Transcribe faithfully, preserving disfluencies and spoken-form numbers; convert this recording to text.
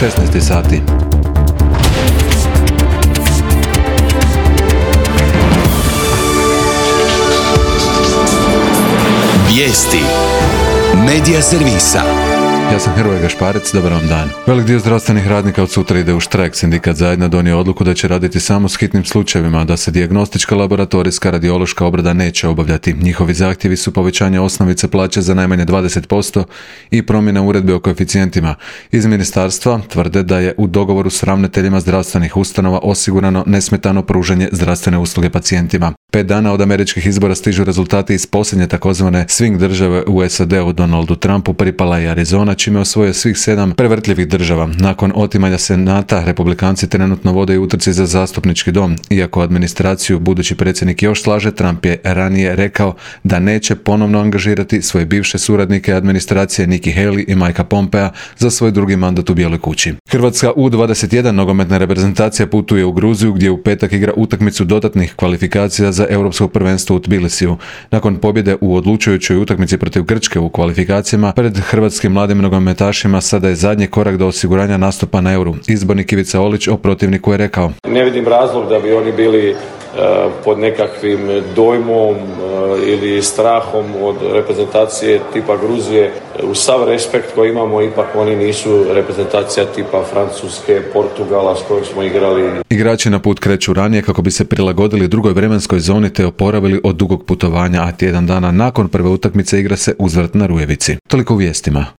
šesnaest sati. Vijesti Medija servisa. Ja sam Hrvoje Gašparec, dobar vam dan. Velik dio zdravstvenih radnika od sutra ide u štrajk. Sindikat Zajedno donio odluku da će raditi samo s hitnim slučajevima, da se dijagnostička, laboratorijska, radiološka obrada neće obavljati. Njihovi zahtjevi su povećanje osnovice plaće za najmanje dvadeset posto i promjena uredbe o koeficijentima. Iz ministarstva tvrde da je u dogovoru s ravnateljima zdravstvenih ustanova osigurano nesmetano pružanje zdravstvene usluge pacijentima. Pet dana od američkih izbora stižu rezultati iz posljednje takozvane swing države u S A D-u. Donaldu Trumpu pripala je Arizona, čime osvojio svih sedam prevrtljivih država. Nakon otimanja senata, republikanci trenutno vode i utrci za zastupnički dom. Iako administraciju budući predsjednik još slaže, Trump je ranije rekao da neće ponovno angažirati svoje bivše suradnike administracije Nikki Haley i Mikea Pompea za svoj drugi mandat u Bijeloj kući. Hrvatska U dvadeset jedan nogometna reprezentacija putuje u Gruziju, gdje u petak igra utakmicu dodatnih kvalifikacija za europsko prvenstvo u Tbilisiju. Nakon pobjede u odlučujućoj utakmici protiv Grčke u kvalifikacijama pred hrvatskim mladim nogometašima sada je zadnji korak do osiguranja nastupa na Euru. Izbornik Ivica Olić o protivniku je rekao: Ne vidim razlog da bi oni bili uh, pod nekakvim dojmom uh, ili strahom od reprezentacije tipa Gruzije. Uz sav respekt koji imamo, ipak oni nisu reprezentacija tipa Francuske, Portugala s kojim smo igrali. Igrači na put kreću ranije kako bi se prilagodili drugoj vremenskoj zoni te oporavili od dugog putovanja, a tjedan dana nakon prve utakmice igra se uzvrat na Rujevici. Toliko u vijestima.